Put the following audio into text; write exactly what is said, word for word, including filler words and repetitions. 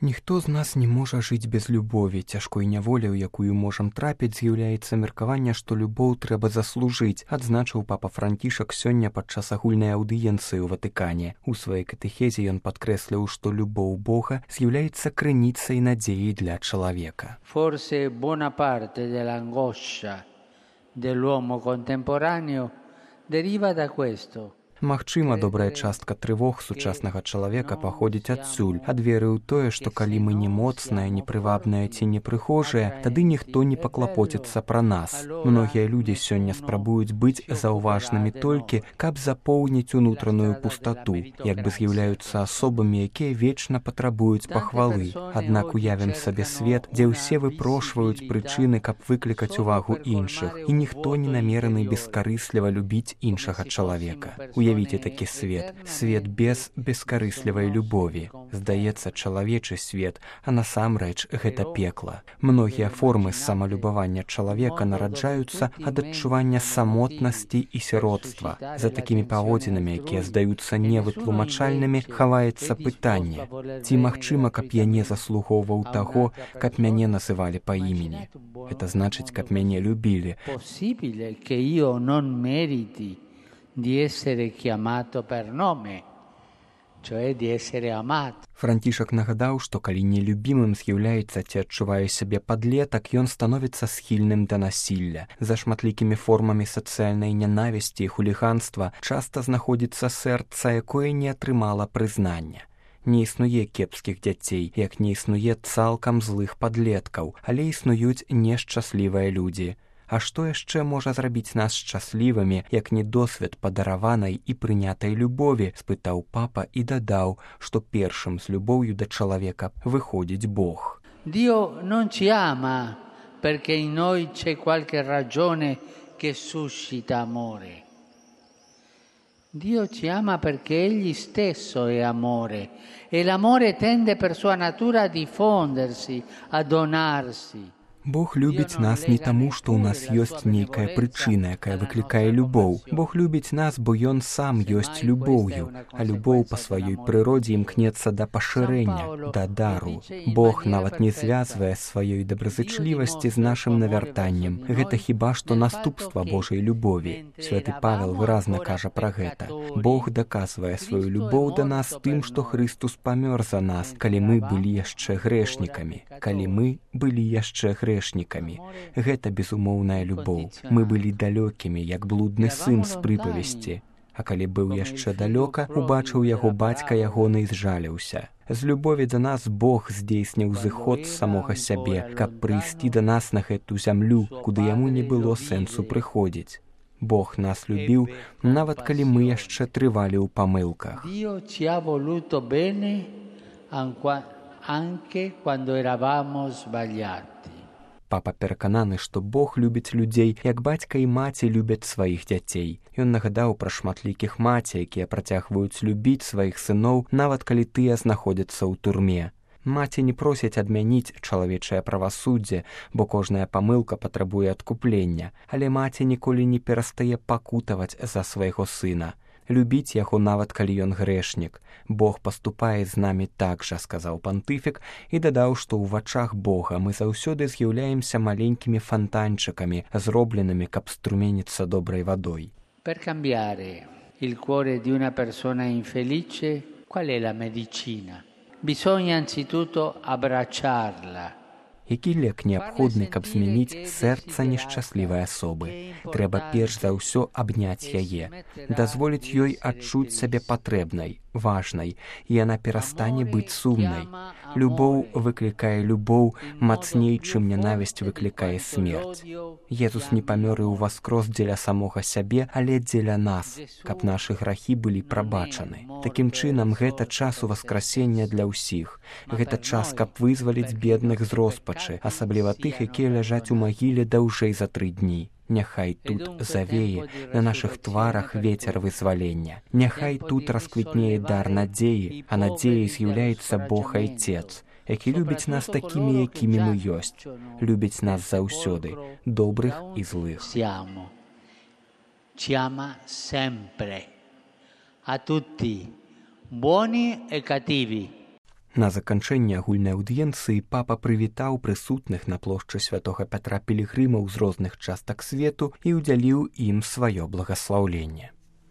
Ніхто з нас не можа жыць без любові. Цяжкой няволі, у якую можам трапіць, з'яўляецца меркаванне, што любоў трэба заслужыць, адзначыў папа Францішак сёння падчас агульнай аўдыенцыі ў Ватыкане. У сваёй катэхезе ён падкрэсліў, што любоў Бога з'яўляецца крыніцай надзеі для чалавека. Forse buona parte dell'angoscia dell'uomo contemporaneo deriva da questo. Магчыма, добрая частка трывог сучаснага чалавека паходзіць адсюль, ад веры ў тое, што калі мы не моцныя, непрывабныя ці непрыхожыя, тады ніхто не паклапоціцца пра нас. Многія людзі сёння спрабуюць быць заўважнымі толькі, каб запоўніць унутраную пустату, як бы з'яўляюцца асобамі, якія вечна патрабуюць пахвалы. Аднак уявім сабе свет, дзе ўсе выпрошваюць прычыны, каб выклікаць увагу іншых, і ніхто не намераны бескарысліва любіць іншага чалавека. Уявіце такі свет, свет без бескарыслівай любові. Здаецца, чалавечы свет, а насамрэч гэта пекла. Многія формы самалюбавання чалавека нараджаюцца ад адчування самотнасці і сіротства. За такімі паводзінамі, якія здаюцца невытлумачальнымі, хаваецца пытанне: ці магчыма, каб я не заслугоўваў таго, каб мяне называлі па імені? Гэта значыць, каб мяне любілі. Di essere chiamato per nome, cioè di essere amato. Францішак нагадаў, што калі нелюбімым з'яўляецца ці адчувае сябе падлетак, ён становіцца схільным да насілля. За шматлікімі формамі сацыяльнай нянавісці і хуліганства часта знаходзіцца сэрца, якое не атрымала прызнання. Не існуе кепскіх дзяцей, як не існуе цалкам злых падлеткаў, але існуюць нешчаслівыя людзі. А што яшчэ можа зрабіць нас шчаслівымі, як не досвед падараванай і прынятай любові, спытаў папа і дадаў, што першым з любоўю да чалавека выходзіць Бог. Dio non ci ama perché in noi c'è qualche ragione che suscita amore. Dio ci ama perché Egli stesso è amore e l'amore tende per sua natura a diffondersi, a donarsi. Бог любіць нас не таму, што ў нас ёсць нейкая прычына, якая выклікае любоў. Бог любіць нас, бо Ён сам ёсць любоўю, а любоў па сваёй прыродзе імкнецца да пашырэння, да дару. Бог нават не звязвае сваёй добразычлівасці з нашым навяртаннем. Гэта хіба што наступства Божай любові. Святы Павел выразна кажа пра гэта. Бог даказвае сваю любоў да нас тым, што Хрыстус памёр за нас, калі мы былі яшчэ грэшнікамі. Калі мы былі яшчэ грэшнікамі. Гэта безумоўная любоў. Мы былі далёкімі, як блудны сын з прыпавесці. А калі быў яшчэ далёка, убачыў яго бацька ягоны і зжаліўся. З любові да нас Бог здзейсніў зыход з самога сябе, каб прыйсці да нас на гэту зямлю, куды яму не было сэнсу прыходзіць. Бог нас любіў, нават калі мы яшчэ трывалі ў памылках. Anche quando eravamo sbagliati. Папа перакананы, што Бог любіць людзей, як бацька і маці любяць сваіх дзяцей. Ён нагадаў пра шматлікіх маці, якія працягваюць любіць сваіх сыноў, нават калі тыя знаходзяцца ў турме. Маці не просяць адмяніць чалавечае правасуддзе, бо кожная памылка патрабуе адкуплення, але маці ніколі не перастае пакутаваць за свайго сына. Любіць яго нават калі ён грэшнік. Бог паступае з намі так жа, сказаў пантыфік, і дадаў, што ў вачах Бога мы заўсёды з'яўляемся маленькімі фантанчыкамі, зробленымі, каб струменіцца добрай вадой. Per cambiare il cuore di una persona infelice, qual è la medicina? Bisogna anzitutto abbracciarla. Які лек неабходны, каб змяніць сэрца нешчаслівай асобы? Трэба перш за ўсё абняць яе, дазволіць ёй адчуць сябе патрэбнай, важнай, і яна перастане быць сумнай. Любоў выклікае любоў мацней, чым нянавісць выклікае смерць. Езус не памёр і ўваскрос дзеля самога сябе, але дзеля нас, каб нашы грахі былі прабачаны. Такім чынам, гэта час уваскрасення для ўсіх. Гэта час, каб вызваліць бедных з роспачы, асабліва тых, якія ляжаць у магіле даўжэй за тры дні. Няхай тут завее на нашых тварах вецер вызвалення. Няхай тут расквітнее дар надзеі, а надзеяй з'яўляецца Бог Айцец, які любіць нас такімі, якімі мы ёсць. Любіць нас заўсёды, добрых і злых. Ci ama sempre, a tutti, buoni e cattivi. На заканчэнне агульнай аўдыенцыі папа прывітаў прысутных на плошчы святога Пятра пілігрымаў з розных частак свету і ўдзяліў ім сваё благаслаўленне.